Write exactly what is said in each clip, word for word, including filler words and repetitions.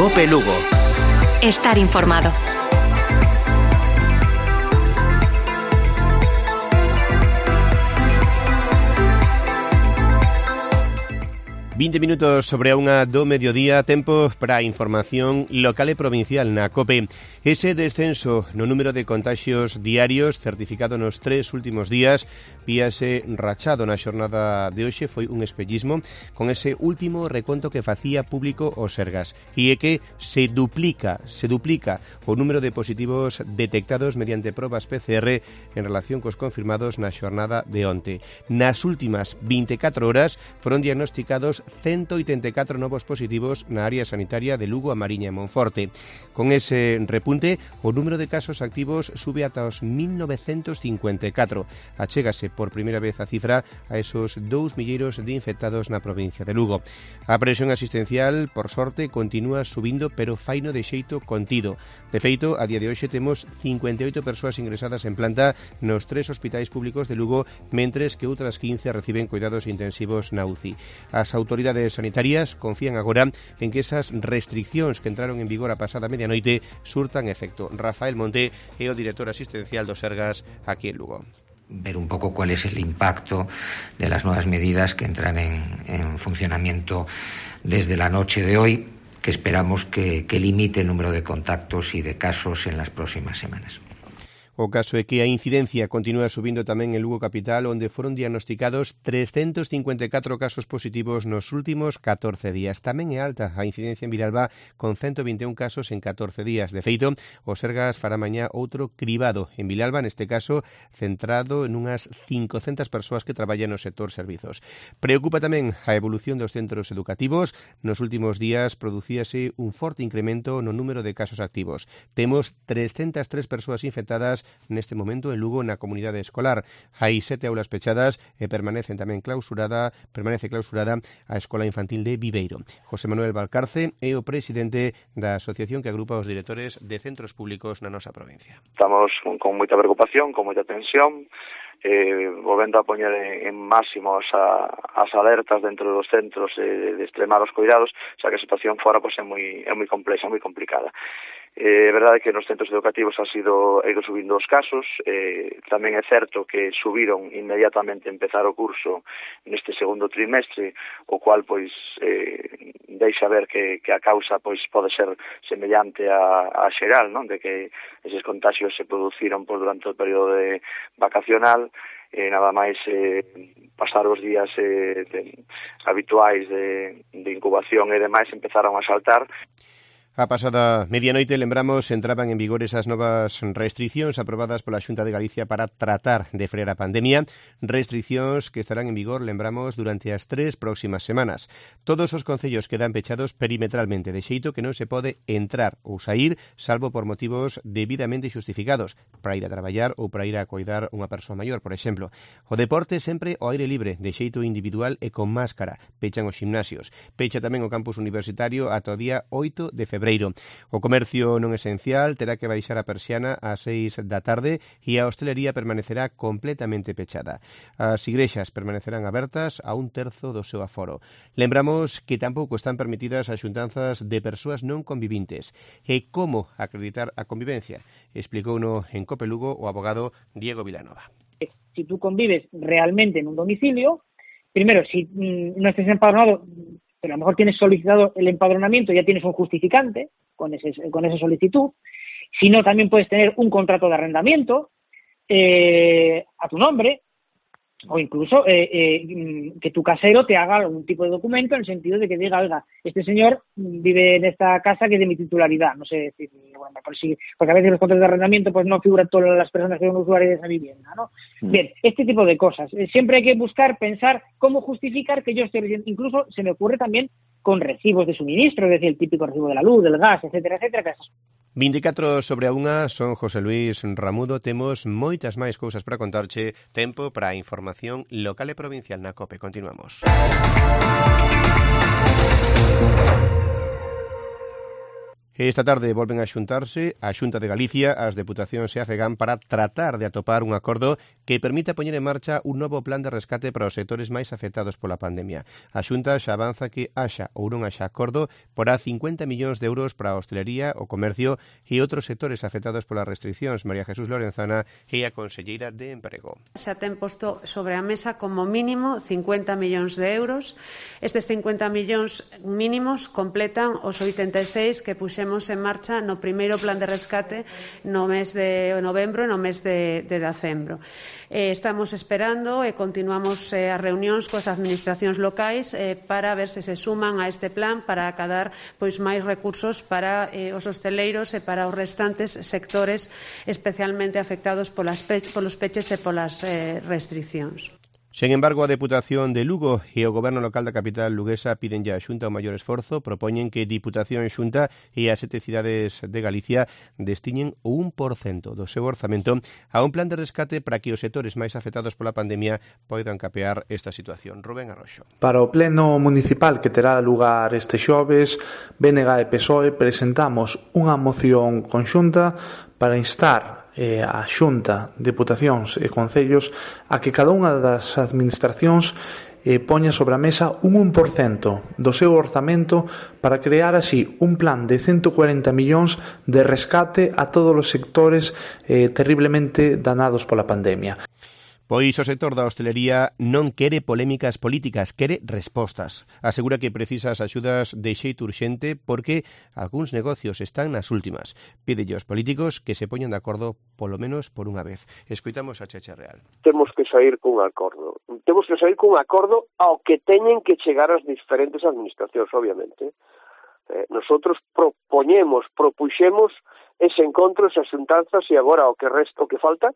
Cope Lugo. Estar informado. vinte minutos sobre a unha do mediodía, tempo para a información local e provincial na COPE. Ese descenso no número de contagios diarios certificado nos tres últimos días víase rachado na xornada de hoxe, foi un espellismo con ese último reconto que facía público o Sergas, e é que se duplica, se duplica o número de positivos detectados mediante probas P C R en relación cos confirmados na xornada de onte. Nas últimas vinte e catro horas foron diagnosticados ciento oitenta e catro novos positivos na área sanitaria de Lugo, A Mariña e Monforte. Con ese repunte, o número de casos activos sube ata os mil novecentos cincuenta e catro. Achégase por primeira vez a cifra a esos dous milleiros de infectados na provincia de Lugo. A presión asistencial, por sorte, continúa subindo, pero faino de xeito contido. De feito, a día de hoxe temos cincuenta e oito persoas ingresadas en planta nos tres hospitais públicos de Lugo, mentres que outras quince reciben cuidados intensivos na U C I. As autoridades sanitarias confían agora en que esas restriccións que entraron en vigor a pasada medianoite surtan efecto. Rafael Monte é o director asistencial do Sergas aquí en Lugo. Ver un poco cuál es el impacto de las nuevas medidas que entran en, en funcionamiento desde la noche de hoy, que esperamos que, que limite el número de contactos y de casos en las próximas semanas. O caso é que a incidencia continúa subindo tamén en Lugo capital, onde foron diagnosticados trescentos cincuenta e catro casos positivos nos últimos catorce días. Tamén é alta a incidencia en Vilalba, con ciento vinte e un casos en catorce días. De feito, o Sergas fará mañá outro cribado en Vilalba, neste caso centrado en unhas cincocentas persoas que traballan no sector servizos. Preocupa tamén a evolución dos centros educativos. Nos últimos días producíase un forte incremento no número de casos activos. Temos trescentas tres persoas infectadas neste momento en Lugo na comunidade escolar. Hai sete aulas pechadas e permanecen tamén clausurada, permanece clausurada a Escola Infantil de Viveiro. José Manuel Valcarce é o presidente da asociación que agrupa os directores de centros públicos na nosa provincia. Estamos con moita preocupación, con moita tensión, eh, volvendo a poñer en máximos a, as alertas dentro dos centros eh, de extremar os cuidados, xa que a situación fora pois, é moi é moi complexa, moi complicada. É eh, verdade que nos centros educativos ha sido ido subindo os casos, eh, tamén é certo que subiron inmediatamente a empezar o curso neste segundo trimestre, o cual pois eh, deixa ver que, que a causa pois pode ser semellante a, a xeral, non? De que eses contagios se produciron por durante o período de vacacional, e eh, nada máis eh, pasar os días eh, de, habituais de, de incubación e demais empezaron a saltar. A pasada medianoite, lembramos, entraban en vigor esas novas restriccións aprobadas pola Xunta de Galicia para tratar de frear a pandemia, restriccións que estarán en vigor, lembramos, durante as tres próximas semanas. Todos os concellos quedan pechados perimetralmente, de xeito que non se pode entrar ou sair, salvo por motivos debidamente xustificados, para ir a traballar ou para ir a coidar unha persoa maior, por exemplo. O deporte sempre ao aire libre, de xeito individual e con máscara. Pechan os gimnasios. Pecha tamén o campus universitario ata o día oito de febreiro. O comercio non esencial terá que baixar a persiana ás seis da tarde e a hostelería permanecerá completamente pechada. As igrexas permanecerán abertas a un terzo do seu aforo. Lembramos que tampouco están permitidas as xuntanzas de persoas non convivintes. E como acreditar a convivencia? Explicouno en Cope Lugo o abogado Diego Vilanova. Si tú convives realmente en un domicilio, primero, si mmm, no estés empadronado, pero a lo mejor tienes solicitado el empadronamiento, ya tienes un justificante con, ese, con esa solicitud. Si no, también puedes tener un contrato de arrendamiento eh, a tu nombre, o incluso eh, eh, que tu casero te haga algún tipo de documento en el sentido de que diga, oiga, este señor vive en esta casa que es de mi titularidad, no sé decir, bueno, por si, porque a veces los contratos de arrendamiento pues no figuran todas las personas que son usuarios de esa vivienda, ¿no? Mm. Bien, este tipo de cosas. Siempre hay que buscar, pensar cómo justificar que yo estoy recibiendo. Incluso se me ocurre también con recibos de suministro, es decir, el típico recibo de la luz, del gas, etcétera, etcétera, que esas vinte e catro sobre a unha, son José Luis Ramudo. Temos moitas máis cousas para contarche. Tempo para a información local e provincial na COPE. Continuamos. Esta tarde volven a xuntarse a Xunta de Galicia, as Deputacións e a FEGAM para tratar de atopar un acordo que permita poñer en marcha un novo plan de rescate para os sectores máis afectados pola pandemia. A Xunta xa avanza que haxa ou non haxa acordo porá cincuenta millóns de euros para a hostelería, o comercio e outros sectores afectados polas restriccións. María Jesús Lorenzana é a conselleira de Emprego. Xa ten posto sobre a mesa como mínimo cincuenta millóns de euros. Estes cincuenta millóns mínimos completan os oitenta e seis que puxemos en marcha no primeiro plan de rescate no mes de novembro e no mes de, de decembro. Eh, estamos esperando e continuamos eh, as reunións coas administracións locais eh, para ver se se suman a este plan para acadar pois máis recursos para eh, os hosteleiros e para os restantes sectores especialmente afectados polas pe polos peches e polas eh, restriccións. Sen embargo, a Deputación de Lugo e o Goberno local da capital luguesa piden ya a Xunta o maior esforzo, propoñen que Diputación, Xunta e as sete cidades de Galicia destiñen o un por cento do seu orzamento a un plan de rescate para que os sectores máis afectados pola pandemia poidan capear esta situación. Rubén Arroxo. Para o pleno municipal que terá lugar este xoves, B N G e P S O E presentamos unha moción conxunta para instar eh, a Xunta, Deputacións e Concellos a que cada unha das administracións eh, poña sobre a mesa un un por cento do seu orzamento para crear así un plan de ciento cuarenta millóns de rescate a todos os sectores eh, terriblemente danados pola pandemia. Pois o sector da hostelería non quere polémicas políticas, quere respostas. Asegura que precisa as axudas de xeito urxente porque algúns negocios están nas últimas. Pídelle aos políticos que se poñan de acordo polo menos por unha vez. Escoitamos a Cheche Real. Temos que sair cun acordo. Temos que sair cun acordo ao que teñen que chegar as diferentes administracións, obviamente. Eh, nosotros propoñemos, propuxemos ese encontro, esas xuntanzas e agora o que resta, o que falta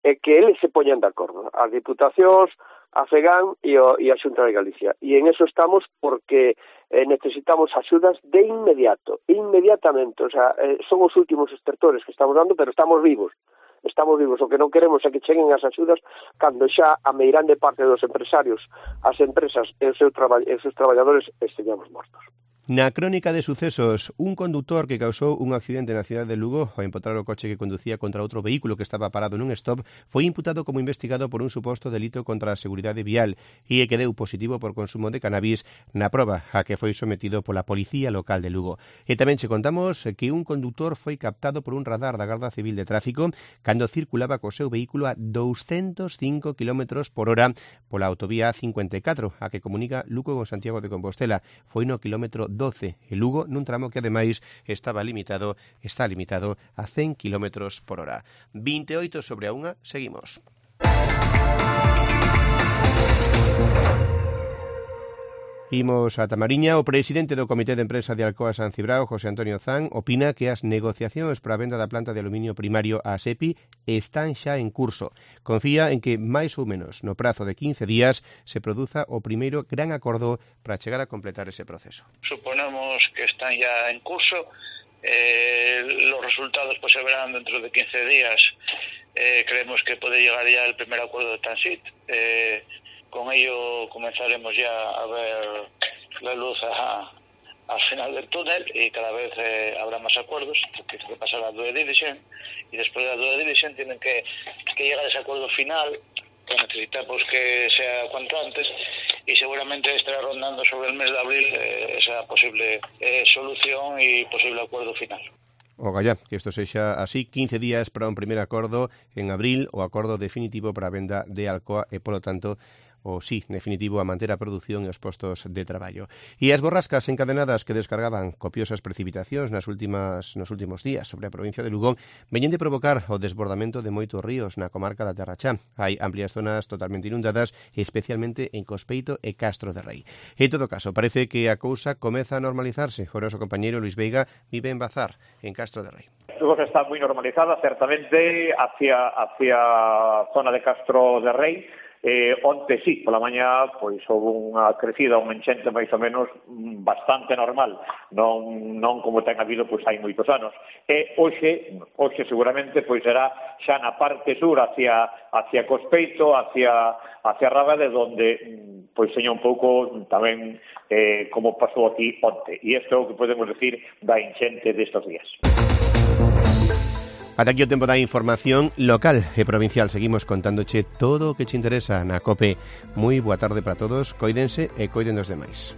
é que eles se poñan de acordo, as Diputacións, a FEGAM e, o, e a Xunta de Galicia. E en eso estamos porque eh, necesitamos axudas de inmediato, inmediatamente. O sea, eh, son os últimos estertores que estamos dando, pero estamos vivos. Estamos vivos. O que non queremos é que cheguen as axudas cando xa a meirande parte dos empresarios, as empresas e os seus, traba e os seus traballadores esteñamos mortos. Na crónica de sucesos, un conductor que causou un accidente na cidade de Lugo ao empotrar o coche que conducía contra outro vehículo que estaba parado nun stop foi imputado como investigado por un suposto delito contra a seguridade vial e que deu positivo por consumo de cannabis na proba a que foi sometido pola Policía Local de Lugo. E tamén che contamos que un conductor foi captado por un radar da Garda Civil de Tráfico cando circulaba co seu vehículo a douscentos cinco kilómetros por hora pola autovía A cincuenta e catro, a que comunica Lugo con Santiago de Compostela. Foi no kilómetro doce e Lugo nun tramo que ademais estaba limitado, está limitado a cen kilómetros por hora. vinte e oito sobre a unha, seguimos. Imos a Tamariña. O presidente do Comité de Empresa de Alcoa San Cibrao, José Antonio Zan, opina que as negociacións para a venda da planta de aluminio primario a SEPI están xa en curso. Confía en que máis ou menos no prazo de quince días se produza o primeiro gran acordo para chegar a completar ese proceso. Suponemos que están ya en curso. Eh, los resultados pues se verán dentro de quince días. Eh, creemos que puede llegar ya el primer acuerdo de Transit. Eh, Con ello comenzaremos ya a ver la luz a, al final del túnel y cada vez eh, habrá más acuerdos, porque tiene que pasar a due diligence y después de la due diligence tienen que, que llegar a ese acuerdo final que necesitamos que sea cuanto antes y seguramente estará rondando sobre el mes de abril eh, esa posible eh, solución y posible acuerdo final. Ogallá, que isto sexa así, quince días para un primer acordo en abril, o acordo definitivo para a venda de Alcoa e, polo tanto, o sí, definitivo, a manter a produción e os postos de traballo. E as borrascas encadenadas que descargaban copiosas precipitacións nas últimas nos últimos días sobre a provincia de Lugo veñen de provocar o desbordamento de moitos ríos na comarca da Terra Chá. Hai amplias zonas totalmente inundadas, especialmente en Cospeito e Castro de Rei. En todo caso, parece que a cousa comeza a normalizarse. O noso compañeiro Luis Veiga vive en Bazar, en Castro de Rei. A cousa está moi normalizada, certamente, hacia, hacia a zona de Castro de Rei. Eh, onte sí, pola mañá, pois houve unha crecida, un enchente máis ou menos bastante normal, non, non como ten habido pois hai moitos anos. E hoxe, hoxe seguramente pois será xa na parte sur, hacia, hacia Cospeito, hacia, hacia Rábade, donde pois seña un pouco tamén eh, como pasou aquí onte. E isto é o que podemos decir da enchente destes días. Ata aquí o tempo da información local e provincial. Seguimos contándoche todo o que te interesa na COPE. Moi boa tarde para todos, coídense e coiden dos demais.